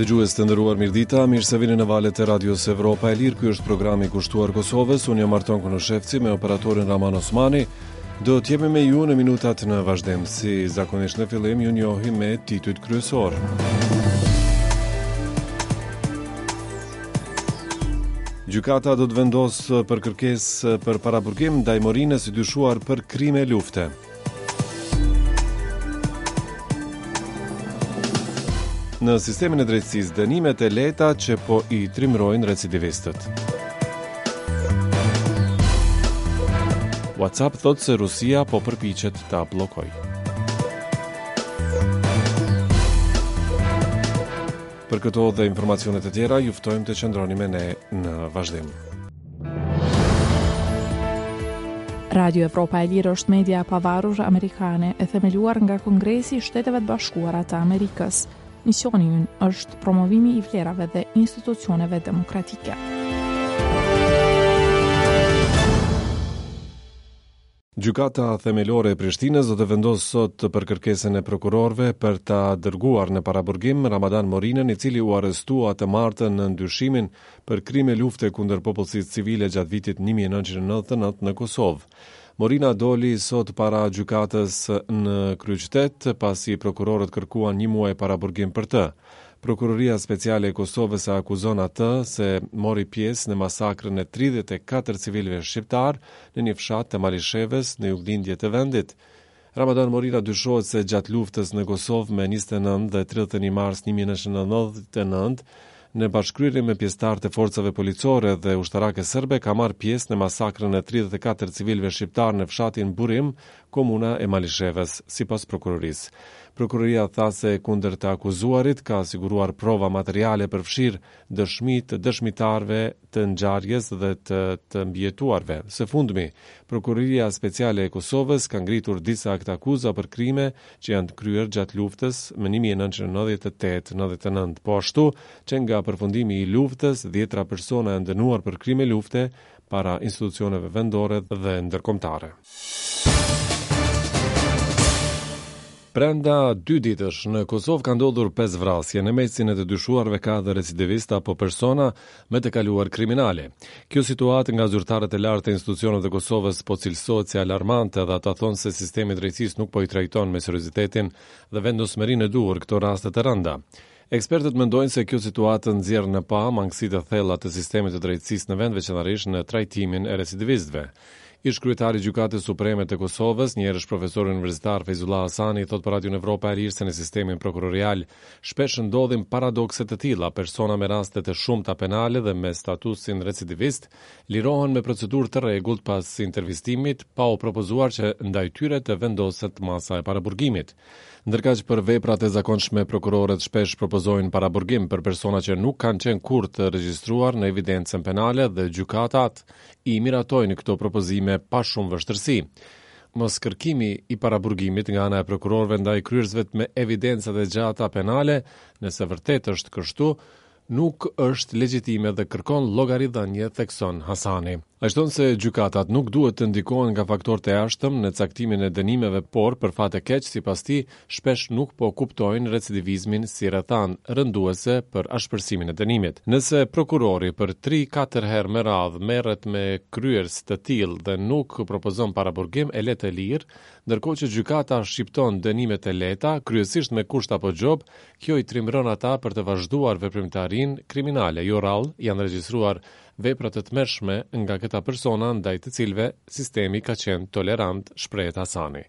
Dëgjues të nderuar mirëdita, mirë se vini në valët e Radios Evropa e Lirë. Ky është programi kushtuar Kosovës. Unë jam Arton Konushevci me operatorin Raman Osmani. Do të jemi me ju në minutat në vazhdim, si zakonisht në fillim ju njohim me titujt kryesorë. Gjykata do të vendosë për kërkesë për paraburgim ndaj Morinës i dyshuar për krime lufte. Në sistemin e drejtësisë, dënimet e lehta që po i trimërojnë recidivistët. WhatsApp thotë se Rusia po përpiqet ta bllokojë. Për këto dhe informacione të tjera, ju ftojmë të qëndroni me ne në vazhdim. Radio Evropa e Lirë është media e pavarur amerikane e themeluar nga Kongresi i Shteteve të Bashkuara të Amerikës. Misioni ynë është promovimi i vlerave dhe institucioneve demokratike. Gjykata Themelore e Prishtinës do të vendosë sot për kërkesën e prokurorëve për ta dërguar në paraburgim Ramadan Morinën, i cili u arrestua të martën nën dyshimin për krime lufte kundër popullsisë civile gjatë vitit 1999 në Kosovë. Morina doli sot para gjykatës në kryeqytet, pasi prokurorët kërkuan një muaj paraburgim për të. Prokuroria Speciale e Kosovës e akuzon atë se mori pjesë në masakrën e 34 civilëve shqiptarë në një fshat të Malishevës në juglindje të vendit. Ramadan Morina dyshohet se gjatë luftës në Kosovë me 29 dhe 31 mars 1999, në bashkëkryerje me pjesëtarë të forcave policore dhe ushtarake serbe ka marrë pjesë në masakrën e 34 civilëve shqiptarë në fshatin Burim, komuna e Malishevës, sipas prokurorisë. Prokuroria tha se kundër të akuzuarit ka siguruar prova materiale përfshirë dëshmi të dëshmitarëve të ngjarjes dhe të të mbijetuarve. Së fundmi, Prokuroria Speciale e Kosovës ka ngritur disa aktakuza për krime që janë kryer gjatë luftës më 1998-99. Po ashtu, që nga përfundimi i luftës, dhjetra persona janë dënuar për krime lufte para institucioneve vendore dhe ndërkombëtare. Brenda dy ditësh në Kosovë ka ndodhur pesë vrasje, në mesin e të dyshuarve ka edhe recidivistë apo persona me të kaluar kriminale. Kjo situatë nga zyrtarët e lartë të institucioneve të Kosovës po cilësohet si alarmante dhe ata thonë se sistemi i drejtësisë nuk po i trajton me seriozitetin dhe vendosmërinë e duhur këto raste të rënda. Ekspertët mendojnë se kjo situatë nxjerr në pah mangësitë e thella të sistemit të drejtësisë në vend, veçanërisht në trajtimin e recidivistëve. Ish-kryetari i Gjykatës Supreme të Kosovës, njëherësh profesori universitar Fejzullah Hasani, thotë për Radion Evropa e Lirë se në sistemin prokurorial shpesh ndodhin paradokse të tilla, persona me raste të shumta penale dhe me statusin recidivist lirohen me procedurë të rregullt pas intervistimit, pa u propozuar që ndaj tyre të vendoset masa e paraburgimit. Ndërkaq për veprat e zakonshme prokurorët shpesh propozojnë paraburgim për persona që nuk kanë qenë kurrë të regjistruar në evidencën penale dhe gjykatat i miratojnë këto propozime pa shumë vështirësi. Moskërkimi i paraburgimit nga ana e prokurorëve ndaj kryerësve me evidenca të gjata penale, nëse vërtet është kështu, nuk është legjitime dhe kërkon llogaridhënie, thekson Hasani. Ai shton se gjykatat nuk duhet të ndikohen nga faktorë të jashtëm në caktimin e dënimeve, por, për fat të keq, sipas tij, shpesh nuk po kuptojnë recidivizmin si rrethanë rënduese për ashpërsimin e dënimit. Nëse prokurori për tri-katër herë me radhë merret me kryerës të tillë dhe nuk propozon paraburgim, e le të lirë, ndërkohë që gjykata shqipton dënime të lehta, kryesisht me kusht apo gjobë, Kjo i trimëron ata për të vazhduar veprimtarinë kriminale. Jo rrallë janë regjistruar vepra të tmerrshme nga këta persona ndaj të cilëve sistemi ka qenë tolerant, shprehet Hasani.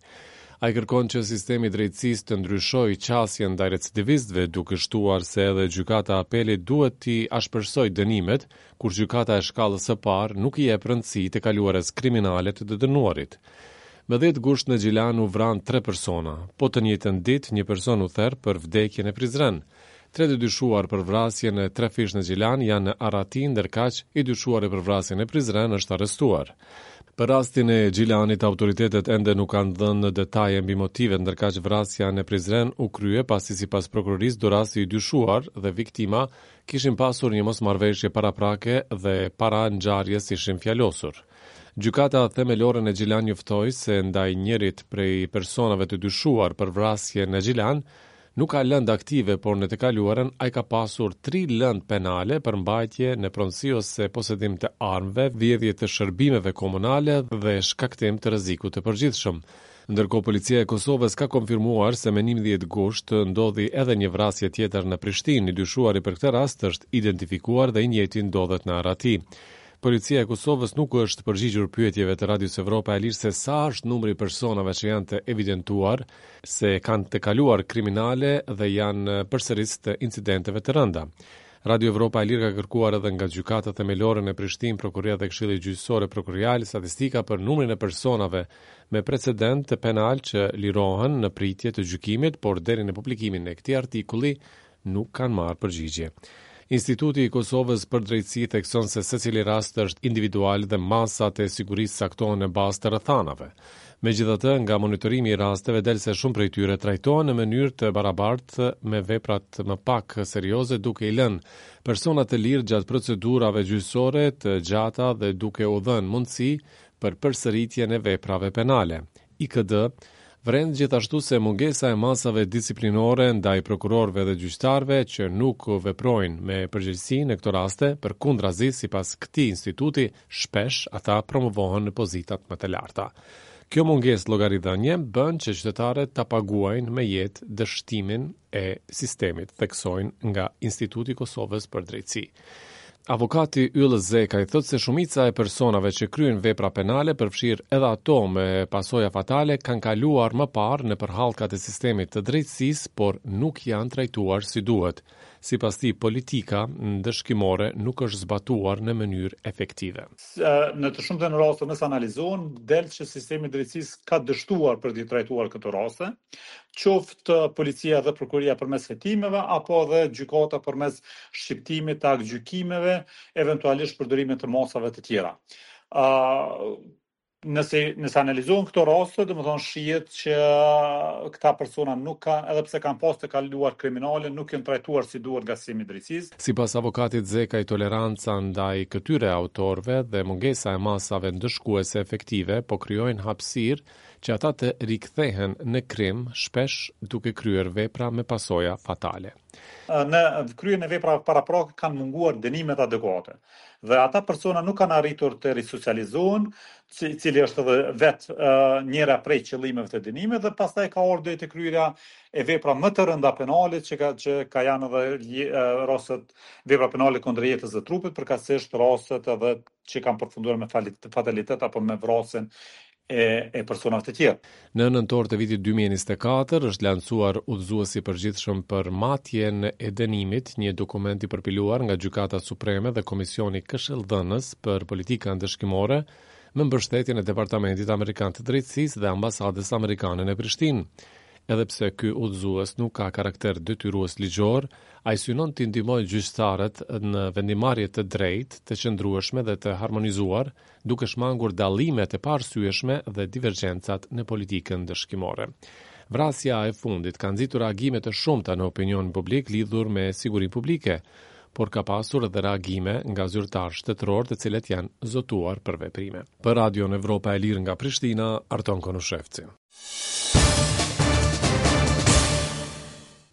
Ai kërkon që sistemi i drejtësisë të ndryshojë qasjen ndaj recidivistëve, duke shtuar se edhe Gjykata e Apelit duhet t'i ashpërsojë dënimet, kur gjykata e shkallës së parë nuk i jep rëndësi të kaluarës kriminale të të dënuarit. Më 10 gusht në Gjilan u vranë tre persona. Po të njëjtën ditë, një person u ther për vdekje në Prizren. Tre të dyshuar për vrasjen e trefishtë në Gjilan janë në arrati, ndërkaq i dyshuari për vrasjen në Prizren është arrestuar. Për rastin e Gjilanit, autoritetet ende nuk kanë dhënë detaje mbi motivet, ndërkaq vrasja në Prizren u krye pasi sipas prokurorisë dorasi i dyshuar dhe viktima kishin pasur një mosmarrëveshje paraprake dhe para ngjarjes ishin fjalosur. Gjykata Themelore në Gjilan njoftoi se ndaj njërit prej personave të dyshuar për vrasje në Gjilan, Nuk ka lëndë aktive, por në të kaluarën ai ka pasur tri lëndë penale për mbajtje në pronësi ose posedim të armëve, vjedhje të shërbimeve komunale dhe shkaktim të rrezikut të përgjithshëm. Ndërkohë Policia e Kosovës ka konfirmuar se me 11 gusht ndodhi edhe një vrasje tjetër në Prishtinë. I dyshuari për këtë rast është identifikuar dhe i njëjti ndodhet në arrati. Policia e Kosovës nuk u është përgjigjur pyetjeve të Radios Evropa e Lirë se sa është numri i personave që janë të evidentuar se kanë të kaluar kriminale dhe janë përsëritës të incidenteve të rënda. Radio Evropa e Lirë ka kërkuar edhe nga Gjykata Themelore në Prishtinë, Prokuroria dhe Këshilli Gjyqësor e Prokurorial statistika për numrin e personave me precedent penal që lirohen në pritje të gjykimit, por deri në publikimin e këtij artikulli nuk kanë marrë përgjigje. Instituti i Kosovës për Drejtësi thekson se secili rast është individual dhe masat e sigurisë caktohen në bazë të rrethanave. Megjithatë, nga monitorimi i rasteve del se shumë prej tyre trajtohen në mënyrë të barabartë me veprat më pak serioze duke i lënë personat të lirë gjatë procedurave gjyqësore të gjata dhe duke u dhënë mundësi për përsëritjen e veprave penale. IKD vëren gjithashtu se mungesa e masave disiplinore ndaj prokurorëve dhe gjyqtarëve që nuk veprojnë me përgjegjësi në këto raste, përkundrazi sipas këtij instituti, shpesh ata promovohen në pozitat më të larta. Kjo mungesë llogaridhënie bën që qytetarët ta paguajnë me jetë dështimin e sistemit, theksojnë nga Instituti i Kosovës për Drejtësi. Avokati Yll Zekaj thotë se shumica e personave që kryejnë vepra penale, përfshirë edhe ato me pasoja fatale, kanë kaluar më parë nëpër hallkat e sistemit të drejtësisë, por nuk janë trajtuar si duhet. Sipas tij, politika ndëshkimore nuk është zbatuar në mënyrë efektive. Në të shumtën e rasteve nëse analizohen, del që sistemi i drejtësisë ka dështuar për t'i trajtuar këto raste, qoftë policia dhe prokuroria përmes hetimeve apo edhe gjykata përmes shqiptimit të aktgjykimeve, eventualisht përdorimit të masave të tjera. Ë nëse nëse analizohen këto raste, domethënë shihet që këta persona nuk kanë, edhe pse kanë pas të kaluar kriminale, nuk janë trajtuar si duhet nga sistemi i drejtësisë. Sipas avokatit Zekaj, toleranca ndaj këtyre autorëve dhe mungesa e masave ndëshkuese efektive po krijojnë hapësirë që ata të rikthehen në krim, shpesh duke kryer vepra me pasoja fatale. Në kryerjen e veprave paraprake kanë munguar dënimet adekuate dhe ata persona nuk kanë arritur të risocializohen, cili është edhe vetë njëra prej qëllimeve të dënimit dhe pastaj ka ardhur deri te kryerja e vepra më të rënda penale që ka që ka janë edhe rastet vepra penale kundër jetës dhe trupit, përkatësisht rastet edhe që kanë përfunduar me fatalitet apo me vrasjen e, e personave të tjerë. Në nëntor të vitit 2024 është lansuar udhëzuesi i përgjithshëm për matjen e dënimit, një dokument i përpiluar nga Gjykata Supreme dhe Komisioni Këshilldhënës për Politika Ndëshkimore me mbështetjen e Departamentit Amerikan të Drejtësisë dhe Ambasadës Amerikane në Prishtinë. Edhe pse ky udhëzues nuk ka karakter detyrues ligjor, ai synon t'i ndihmojë gjyqtarët në vendimmarrje të drejtë, të qëndrueshme dhe të harmonizuar, duke shmangur dallimet e paarsyeshme dhe divergjencat në politikën ndëshkimore. Vrasja e fundit ka nxitur reagime të shumta në opinionin publik lidhur me sigurinë publike, por ka pasur edhe reagime nga zyrtarë shtetërorë të cilët janë zotuar për veprime. Për Radion Evropa e Lirë nga Prishtina, Arton Konushevci.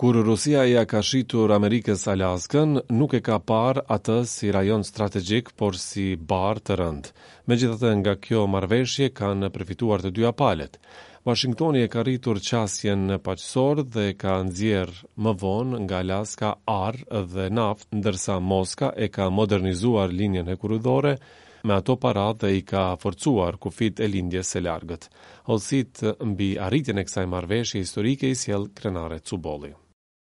Kur Rusia ia ka shitur Amerikës Alaskën, nuk e ka parë atë si rajon strategjik, por si barrë të rëndë. Megjithatë, nga kjo marrëveshje kanë përfituar të dyja palët. Washingtoni e ka rritur qasjen në Paqësor dhe ka nxjerrë më vonë nga Alaska ar dhe naftë, ndërsa Moska e ka modernizuar linjën hekurudhore me ato para dhe i ka forcuar kufijtë e Lindjes së Largët. Hollësitë mbi arritjen e kësaj marrëveshje historike i sjell Krenare Cubolli.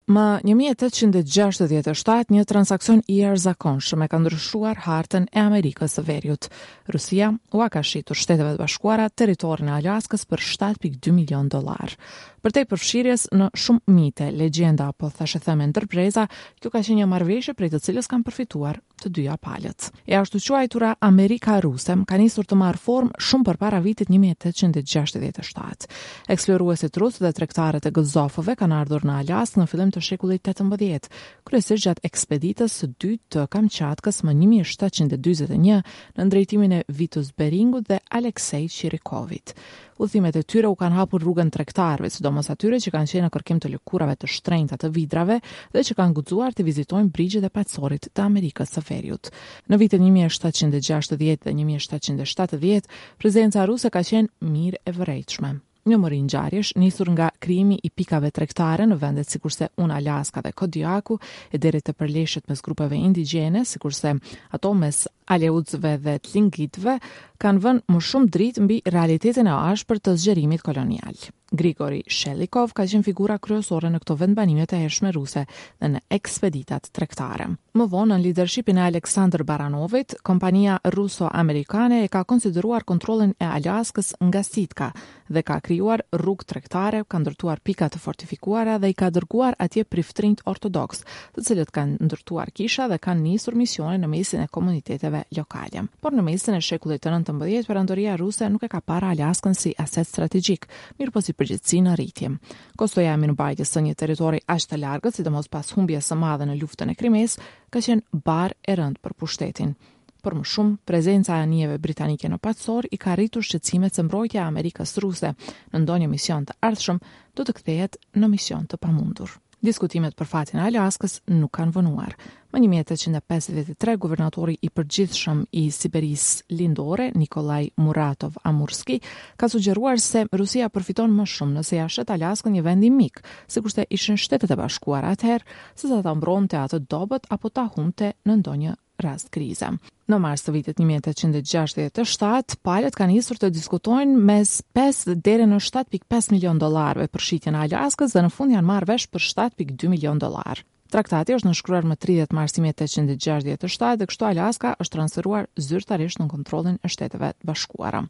Më 1867, një transaksion i jashtëzakonshëm e ka ndryshuar hartën e Amerikës së Veriut. Rusia ua ka shitur Shteteve të Bashkuara territorin e Alaskës për 7.2 milion dollarë. Përtej përfshirjes në shumë mite, legjenda apo thashetheme ndër breza, kjo ka qenë një marrëveshje prej të cilës kanë përfituar të dyja palët. E ashtuquajtura Amerika Ruse ka nisur të marrë formë shumë përpara vitit 1867. Eksploruesit rusë dhe tregtarët e gëzofëve kanë ardhur në Alaskë në fillim të shekullit 18, kryesisht gjatë ekspeditës së dytë të Kamçatkës më 1741 nën drejtimin e Vitus Beringut dhe Aleksej Çirikovit. Udhëtimet e tyre u kanë hapur rrugën tregtarëve, sidomos atyre që kanë qenë në kërkim të lëkurave të shtrenjta të vidrave dhe që kanë guxuar të vizitojnë brigjet e Paqësorit të Amerikës së Veriut. Në vitet 1760 dhe 1770, prezenca ruse ka qenë mirë e vërejtshme. Një mori ngjarjesh, nisur nga krijimi i pikave tregtare në vendet sikurse Unalaska dhe Kodiaku, e deri te përleshjet mes grupeve indigjene, sikurse ato mes Aleutëve dhe Tlingitëve, kanë vënë më shumë dritë mbi realitetin e ashpër të zgjerimit kolonial. Grigori Shelikov ka qenë figura kryesore në këto vendbanime të hershme ruse dhe në ekspeditat tregtare. Më vonë, nën lidershipin e Aleksandër Baranovit, kompania ruso-amerikane e ka konsideruar kontrollin e Alaskës nga Sitka dhe ka krijuar rrugë tregtare, ka ndërtuar pika të fortifikuara dhe i ka dërguar atje priftërinjtë ortodoksë, të cilët kanë ndërtuar kisha dhe kanë nisur misione në mesin e komuniteteve lokale. Por në mesin e shekullit të 19, perandoria ruse nuk e ka parë Alaskën si aset strategjik, mirëpo si përgjegjësi në rritje. Kostoja e mirëmbajtjes së një territori aq të largët, sidomos pas humbjes së madhe në luftën e Krimesë, ka qenë barrë e rëndë për pushtetin. Për më shumë, prezenca e anijeve britanike në Paqësor i ka rritur shqetësimet se mbrojtja e Amerikës ruse në ndonjë mision të ardhshëm do të kthehet në mision të pamundur. Diskutimet për fatin e Alaskës nuk kanë vonuar. Më 1853, guvernatori i përgjithshëm i Siberisë Lindore, Nikolaj Muratov Amurski, ka sugjeruar se Rusia përfiton më shumë nëse ia shet Alaskën një vendi mik, sikurse ishin Shtetet e Bashkuara atëherë, sesa ta mbronte atë dobët apo ta humbte në ndonjë rast krize. Në mars të vitit 1867, palët kanë nisur të diskutojnë mes 5 deri në 7.5 milion dollarëve për shitjen e Alaskës dhe në fund janë marrë vesh për 7.2 milion dollarë. Traktati është nënshkruar më 30 mars 1867 dhe kështu Alaska është transferuar zyrtarisht në kontrollin e Shteteve të Bashkuara.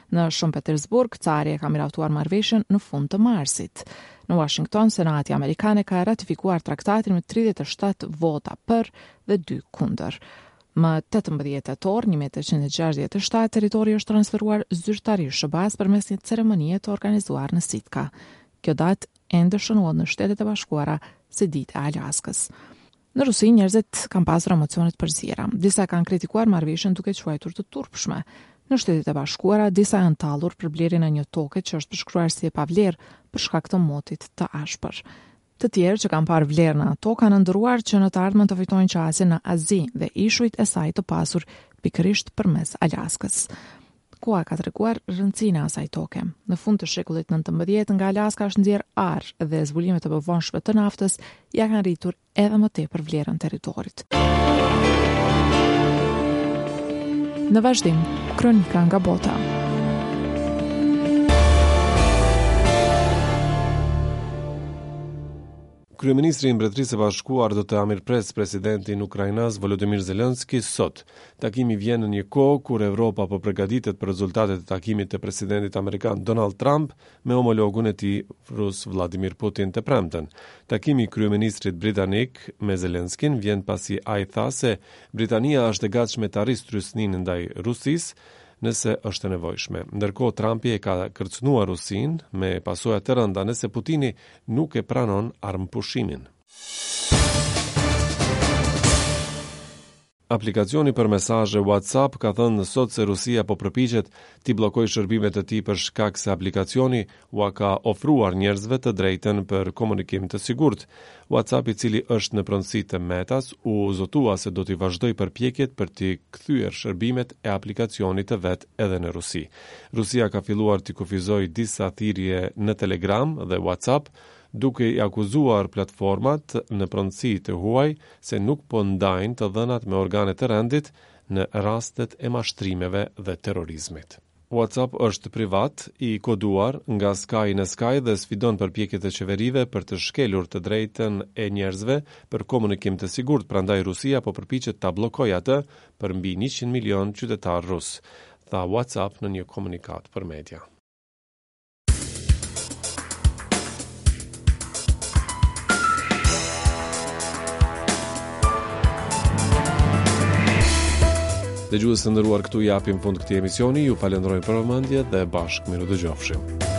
Në Shën Petersburg, cari e ka miratuar marrëveshjen në fund të marsit. Në Washington, Senati amerikan e ka ratifikuar traktatin me 37 vota për dhe 2 kundër. Më 18 tetor 1867, territori është transferuar zyrtarisht SHBA-s përmes një ceremonie të organizuar në Sitka. Kjo datë ende shënohet në Shtetet e Bashkuara si Dita e Alaskës. Në Rusi njerëzit kanë pasur emocione të përziera. Disa kanë kritikuar marrëveshjen duke quajtur të turpshme. Në Shtetet e Bashkuara disa janë tallur për blerjen e një toke që është përshkruar si e pavlerë për shkak të motit të ashpër. Të tjerë që kanë parë vlerë në ato kanë ëndërruar që në të ardhmen të fitojnë qasje në Azi dhe ishujt e saj të pasur pikërisht përmes Alaskës. Koha ka treguar rëndësinë e asaj toke. Në fund të shekullit 19 nga Alaska është nxjerrë ar dhe zbulimet e mëvonshme të naftës ia kanë rritur edhe më tepër vlerën territorit. Në vazhdim, kronika nga bota. Kryeministri i Mbretërisë së Bashkuar do të mirëpresë presidentin ukrainas Volodymyr Zelensky sot. Takimi vjen në një kohë kur Evropa po përgatitet për rezultatet e takimit të presidentit amerikan Donald Trump me homologun e tij rus Vladimir Putin të premten. Takimi i kryeministrit britanik me Zelenskin vjen pasi ai tha se Britania është e gatshme ta rrisë trysninë ndaj Rusisë nëse është e nevojshme. Ndërkohë Trumpi e ka kërcënuar Rusinë me pasoja të rënda nëse Putini nuk e pranon armëpushimin. Aplikacioni për mesazhe WhatsApp ka thënë sot se Rusia po përpiqet t'i bllokojë shërbimet e tij për shkak se aplikacioni ua ka ofruar njerëzve të drejtën për komunikim të sigurt. WhatsApp, i cili është në pronësi të Metas, u zotua se do t'i vazhdojë përpjekjet për t'i kthyer shërbimet e aplikacionit të vet edhe në Rusi. Rusia ka filluar t'i kufizojë disa thirrje në Telegram dhe WhatsApp, duke i akuzuar platformat në pronësi të huaj se nuk po ndajnë të dhënat me organet e rendit në rastet e mashtrimeve dhe terrorizmit. WhatsApp është privat, i koduar nga skaj në skaj dhe sfidon përpjekjet e qeverive për të shkelur të drejtën e njerëzve për komunikim të sigurt, prandaj Rusia po përpiqet ta bllokojë atë për mbi 100 milionë qytetarë rusë, tha WhatsApp në një komunikatë për media. Dëgjues të nderuar këtu i japim fund këtij emisioni, ju falënderojmë për vëmendje dhe bashkë mirudëgjofshim.